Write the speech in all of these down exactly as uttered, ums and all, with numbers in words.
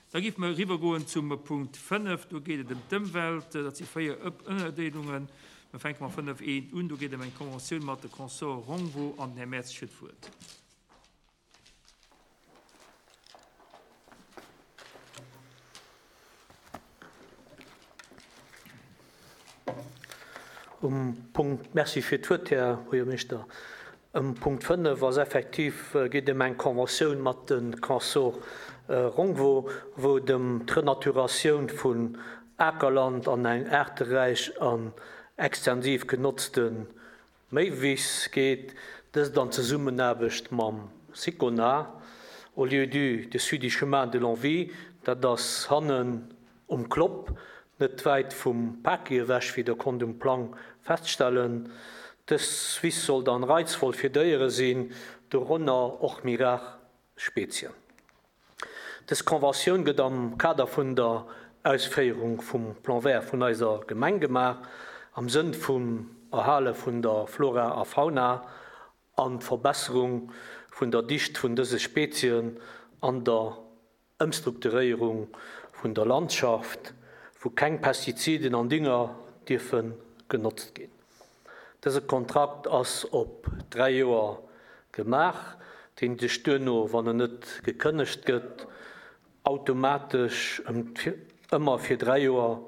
Da géife mer eriwwergoen zum Punkt fënnef. Do geet et ëm d'Ëmwelt. Dat si véier Ënnerdeelungen. Mir fänke mat fënnef eent un. Do geet et ëm eng Conventioun mat de Consort Rongvo an den Här Mertzig huet d'Wuert. Um Punkt, Merci fir d'Wuert, Här Buergermeeschter. Um Punkt fënnef ass effektiv, geet ëm eng Conventioun mat de Consort Rongvo, wou et ëm d'Renaturatioun vun Akerland an eng aarteräich an extensiv genotzte Méiwiss geet, dëst an Zesummenaarbecht mam Sicona, au lieu-dit dessus du chemin de l'Envie, dat ass hannen um Klopp, net wäit vum Paki ewech, wéi Der konnt um Plang feststellen. Dës Wiss soll dann reizvoll fir Déiere sinn, dorënner och méi rar Spezien. Dës Conventioun gëtt am Kader vun der Ausféierung vum Plan vert vun eiser Gemeng gemaach, am Sënn vum Erhale vun der Flora a Fauna an d'Verbesserung vun der Dicht vun dëse Spezien an der Ëmstrukturéierung vun der Landschaft, wou keng Pestiziden an Dünger dierfe genotzt ginn. Dëse Kontrakt ass op dräi Joer gemaach, deen sech duerno, wann en net gekënnegt gëtt, automatesch ëmmer fir dräi Joer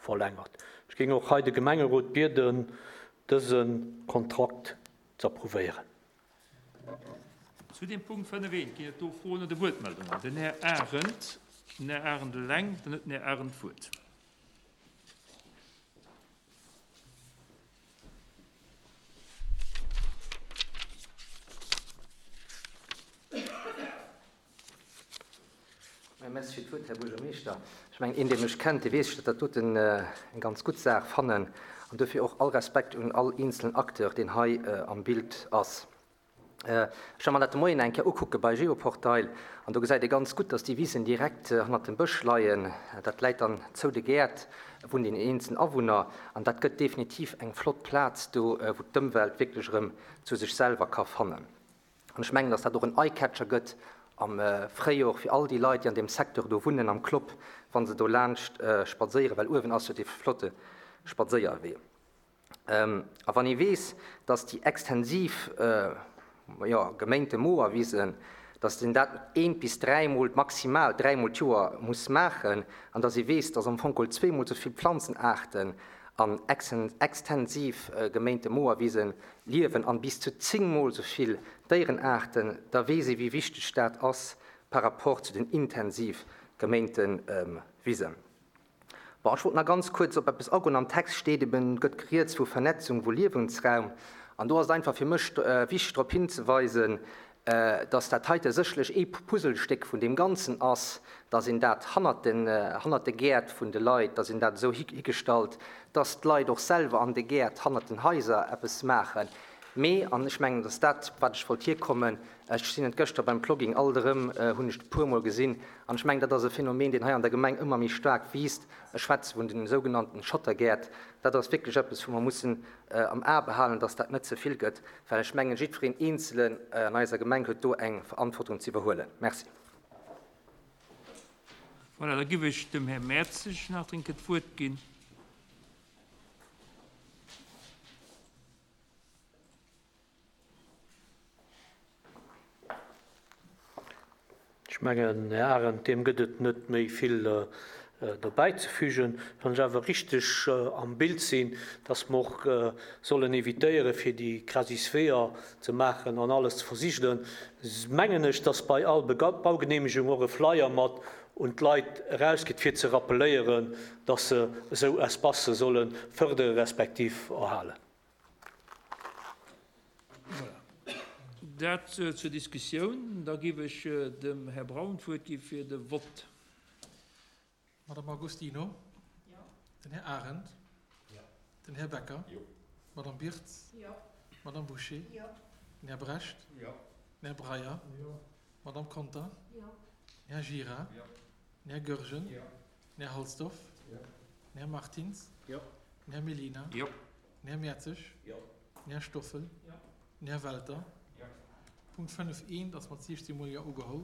verlängert. Ech géing och hei de Gemengerot bieden, dëse Kontrakt z'approuvéieren. Zu deem Punkt fënnef eent ginn et do Froen oder Wuertmeldungen. Den Här Arendt, den Här Arendt eleng, dann huet den Här Arendt d'Wuert. Merci fir d'Wuert, Här Buergermeeschter. Ech mengen, een, dee mech kennt, dee weess, datt dat doten eng ganz gutt Saach fannen. An dofir och all Respekt un all eenzelen Acteur, deen hei am Bild ass. Ech hu mer dat de Moien eng Kéier ukucke bei Geoportail an do gesäit ee ganz gutt, datt déi Wisen direkt hannert dem Bësch leien. Dat läit dann zou de Gäert vun den eenzelen Awunner an dat gëtt definitiv eng flott Plaz do, wou d'Ëmwelt wierklech erëm zu sech selwer ka fannen. An ech mengen, datt dat och en Eye-Catcher gëtt am Fréijor fir all déi Leit, déi an deem Secteur do wunnen, am Klopp, wa se do laanscht spadséieren, well uewen ass jo dee flotte Spadséierwee. A wann ee weess, datt déi extensiv, jo, geméinte Moerwisen, datt een dat eent bis dräimol, maximal dräimol d'Joer muss maachen, an datt ee weess, datt am Fong geholl zweemol esou vill Planzenaarten an extensiv geméinte Moerwise liewen an bis zu zéngmol esou vill Déierenaarten, da weess ee wéi wichteg dat ass par rapport zu den intensiv geméinte Wisen. Bon, ech wollt nach ganz kuerz op eppes agoen. Am Text steet eben, gëtt rieds vu Vernetzung vu Liewensraum. An do ass et einfach fir mech wichteg drop hinzeweisen, dass dat heite sécherlech ee Puzzlestéck vun deem Ganzen ass, dass een dat hannert den, hannert de Gäert vun de Leit, dass een dat esou higestallt, dass d'Leit och selwer an de Gäert hannert den Haiser eppes maachen. Mee, an ech mengen, dass dat, wat ech wollt hierkommen, ech sinn et gëschter beim Plogging alt erëm, hunn ech et e puermol gesinn, an ech mengen, dat ass e Phänomen, deen hei an der Gemeng ëmmer méi staark wiisst, ech schwätze vun den sougenannten Schottergäert, dat ass wierklech eppes, wou mer mussen am A behalen, dass dat net ze vill gëtt, well ech mengen, jiddwereen Eenzelen an eiser Gemeng huet do eng Verantwortung ze iwwerhuelen. Merci. Voilà, da giff ech dem Här Mertzig nach dréngend d'Wuert ginn. Ech mengen, Här Arendt, deem gëtt et net méi vill derbäizefügen. Wann ech awer richteg am Bild sinn, dass mer och sollen évitéieren, fir déi Crasis-Weeër ze maachen an alles ze versigelen, mengen ech, dass bei all Baugenehmegung och e Flyer mat un d'Leit erausgeet, fir ze rappeléieren, dass se esou Espacë solle fërdere respektiv erhalen. Voilà. Dat zur Diskussioun. Da géif ech dem Här Braun d'Wuert gi fir de Vott. Madame Agostino? Jo. Den Här Arendt? Jo. Den Här Becker? Jo. Madame Birtz? Jo. Madame Bouché? Jo. Den Här Brecht? Jo. Den Här Breyer? Jo. Madame Conter? Jo. Den Här Gira? Jo. Den Här Goergen? Jo. Den Här Halsdorf? Jo. Den Här Martins? Jo. Den Här Mellina? Jo. Den Här Mertzig? Jo. Den Här Stoffel? Jo. Den Här Welter? Jo. Punkt fënnef eent ass mat siechzehn Mol Jo ugeholl.